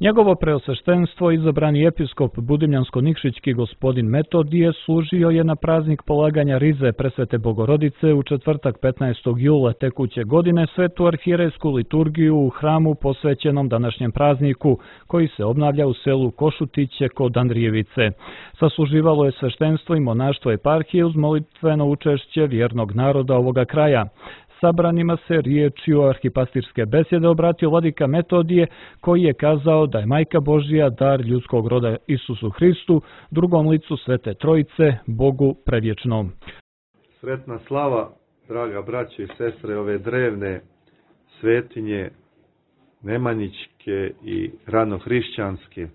Njegovo preosveštenstvo, izabrani episkop Budimljansko-Nikšićki gospodin Metodije, služio je na praznik polaganja rize Presvete Bogorodice u četvrtak 15. jula tekuće godine svetu arhierejsku liturgiju u hramu posvećenom današnjem prazniku, koji se obnavlja u selu Košutiće kod Andrijevice. Sasluživalo je sveštenstvo i monaštvo eparhije uz molitveno učešće vjernog naroda ovoga kraja. Sabranima se riječju arhipastirske besjede obratio vladika Metodije, koji je kazao da je Majka Božja dar ljudskog roda Isusu Hristu, drugom licu Svete Trojice, Bogu predvječnom. Sretna slava, draga braće i sestre, ove drevne svetinje nemanjićke i ranohrišćanske.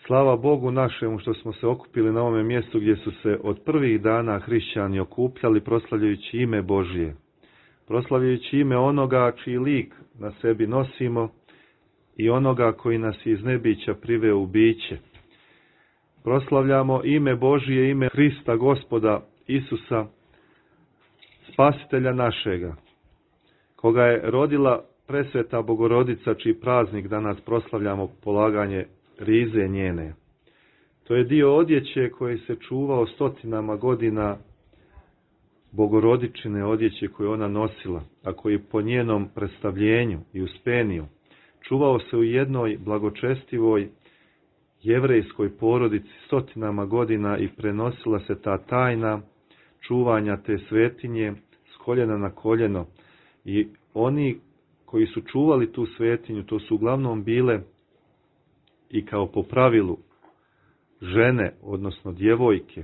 Slava Bogu našemu što smo se okupili na ovome mjestu gdje su se od prvih dana hrišćani okupljali proslavljajući ime Božje, proslavljajući ime onoga čiji lik na sebi nosimo i onoga koji nas iz nebića priveo u biće. Proslavljamo ime Božje, ime Hrista, Gospoda Isusa, Spasitelja našega, koga je rodila Presveta Bogorodica, čiji praznik danas proslavljamo polaganje rize njene. To je dio odjeće koji se čuvao stotinama godina, Bogorodičine odjeće koje ona nosila, a koji po njenom predstavljenju i uspeniju čuvao se u jednoj blagočestivoj jevrejskoj porodici stotinama godina i prenosila se ta tajna čuvanja te svetinje s koljena na koljeno. I oni koji su čuvali tu svetinju, to su uglavnom bile i kao po pravilu žene, odnosno djevojke,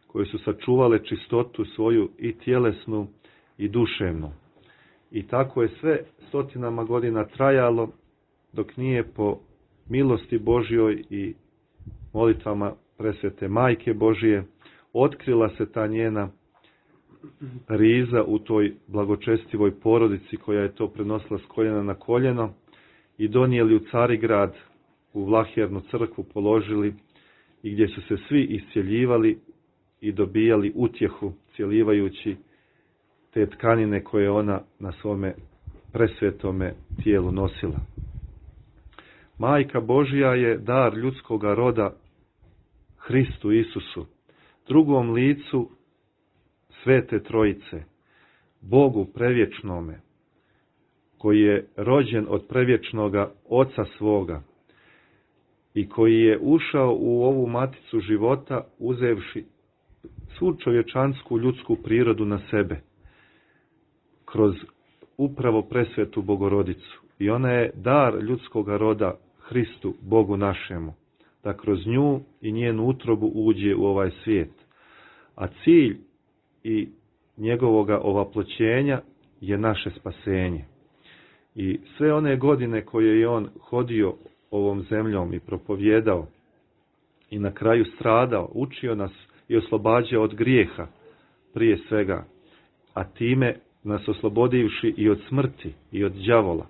koje su sačuvale čistotu svoju i tjelesnu i duševnu. I tako je sve stotinama godina trajalo, dok nije po milosti Božjoj i molitvama Presvete Majke Božje otkrila se ta njena riza u toj blagočestivoj porodici koja je to prenosila s koljena na koljeno i donijeli u Carigrad, u Vlahjernu crkvu položili i gdje su se svi iscjeljivali i dobijali utjehu cjelivajući te tkanine koje ona na svome presvetome tijelu nosila. Majka Božja je dar ljudskoga roda Hristu Isusu, drugom licu Svete Trojice, Bogu prevječnome, koji je rođen od prevječnoga Oca svoga i koji je ušao u ovu maticu života uzevši svu čovječansku ljudsku prirodu na sebe kroz upravo presvetu Bogorodicu. I ona je dar ljudskoga roda Hristu, Bogu našemu, da kroz nju i njenu utrobu uđe u ovaj svijet. A cilj i njegovoga ovaploćenja je naše spasenje. I sve one godine koje je on hodio ovom zemljom i propovjedao i na kraju stradao, učio nas i oslobađao od grijeha prije svega, a time nas oslobodivši i od smrti i od đavola.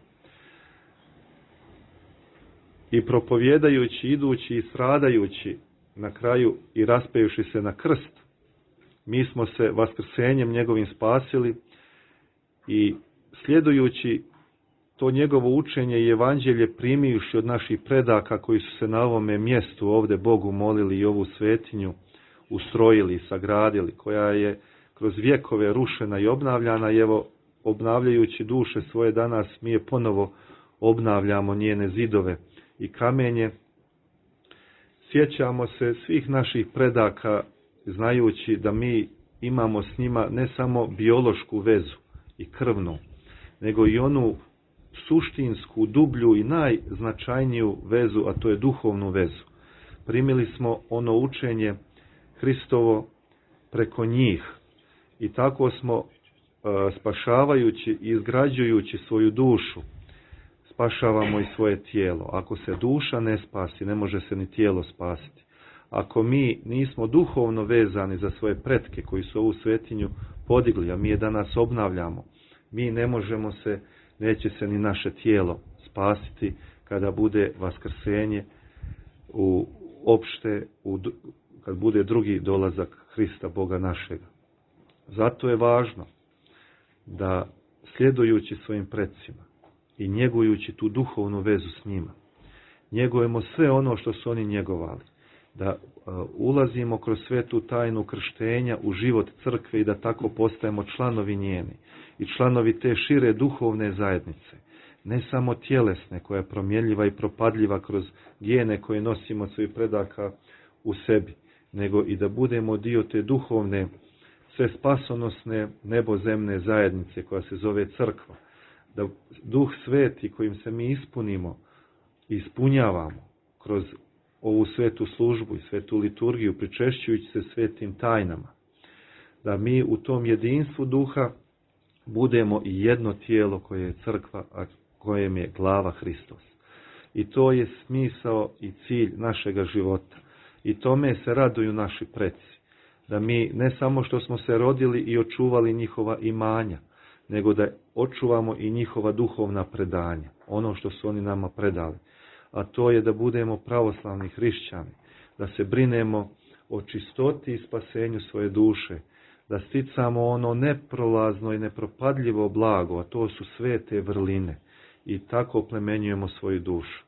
I propovjedajući, idući i stradajući, na kraju i raspevši se na krst, mi smo se vaskrsenjem njegovim spasili i sljedujući to njegovo učenje i evanđelje primivši od naših predaka koji su se na ovome mjestu ovdje Bogu molili i ovu svetinju ustrojili i sagradili, koja je kroz vjekove rušena i obnavljana, i evo obnavljajući duše svoje danas mi je ponovo obnavljamo njene zidove i kamenje. Sjećamo se svih naših predaka znajući da mi imamo s njima ne samo biološku vezu i krvnu, nego i onu suštinsku, dublju i najznačajniju vezu, a to je duhovnu vezu. Primili smo ono učenje Hristovo preko njih i tako smo spašavajući i izgrađujući svoju dušu spašavamo i svoje tijelo. Ako se duša ne spasi, ne može se ni tijelo spasiti. Ako mi nismo duhovno vezani za svoje pretke koji su ovu svetinju podigli, a mi je danas obnavljamo, mi ne možemo se, neće se ni naše tijelo spasiti kada bude vaskrsenje kad bude drugi dolazak Hrista Boga našega. Zato je važno da sljedujući svojim predsima i njegujući tu duhovnu vezu s njima njegujemo sve ono što su oni njegovali, da ulazimo kroz svetu tajnu krštenja u život crkve i da tako postajemo članovi njeni i članovi te šire duhovne zajednice, ne samo tjelesne koja je promjenljiva i propadljiva kroz gene koje nosimo od svojih predaka u sebi, nego i da budemo dio te duhovne, sve spasonosne nebozemne zajednice koja se zove crkva, da Duh Sveti kojim se mi ispunimo i ispunjavamo kroz ovu svetu službu i svetu liturgiju, pričešćujući se svetim tajnama, da mi u tom jedinstvu duha budemo i jedno tijelo koje je crkva, a kojem je glava Hristos. I to je smisao i cilj našega života. I tome se raduju naši preci. Da mi ne samo što smo se rodili i očuvali njihova imanja, nego da očuvamo i njihova duhovna predanja, ono što su oni nama predali. A to je da budemo pravoslavni hrišćani, da se brinemo o čistoti i spasenju svoje duše, da sticamo ono neprolazno i nepropadljivo blago, a to su svete vrline, i tako oplemenjujemo svoju dušu.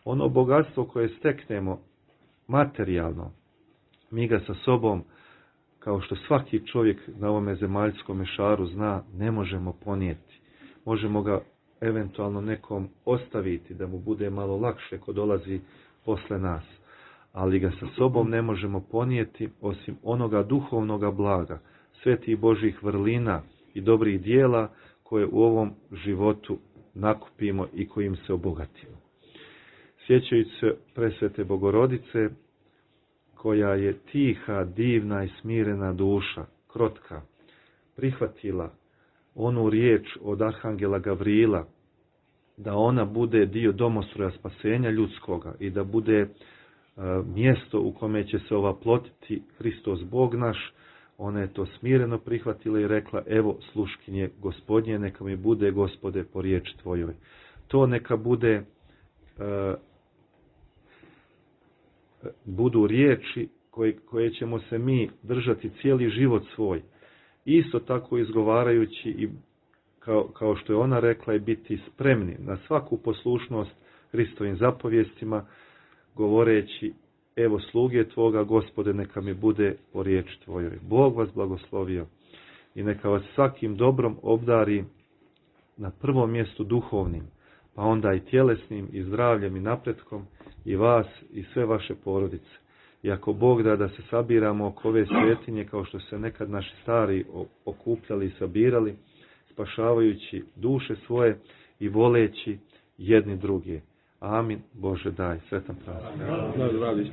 Ono bogatstvo koje steknemo materijalno, mi ga sa sobom, kao što svaki čovjek na ovome zemaljskom šaru zna, ne možemo ponijeti. Možemo ga eventualno nekom ostaviti da mu bude malo lakše ko dolazi posle nas, ali ga sa sobom ne možemo ponijeti osim onoga duhovnoga blaga, svetih Božjih vrlina i dobrih dijela koje u ovom životu nakupimo i kojim se obogatimo. Sjećajući se presvete Bogorodice, koja je tiha, divna i smirena duša, krotka, prihvatila onu riječ od Arhangela Gavrila, da ona bude dio domostroja spasenja ljudskoga i da bude mjesto u kome će se ovaplotiti Hristos Bog naš. Ona je to smireno prihvatila i rekla: evo sluškinje Gospodnje, neka mi bude, Gospode, po riječi tvojoj. To neka bude, budu riječi koje ćemo se mi držati cijeli život svoj. Isto tako izgovarajući i kao što je ona rekla, i biti spremni na svaku poslušnost Hristovim zapovjestima, govoreći: evo sluge tvoga, Gospode, neka mi bude po riječi tvojoj. Bog vas blagoslovio i neka vas svakim dobrom obdari, na prvom mjestu duhovnim, pa onda i tjelesnim i zdravljem i napretkom, i vas i sve vaše porodice. I ako Bog da se sabiramo oko ove svetinje kao što se nekad naši stari okupljali i sabirali, spašavajući duše svoje i voleći jedni druge. Amin. Bože daj. Sretan praznik.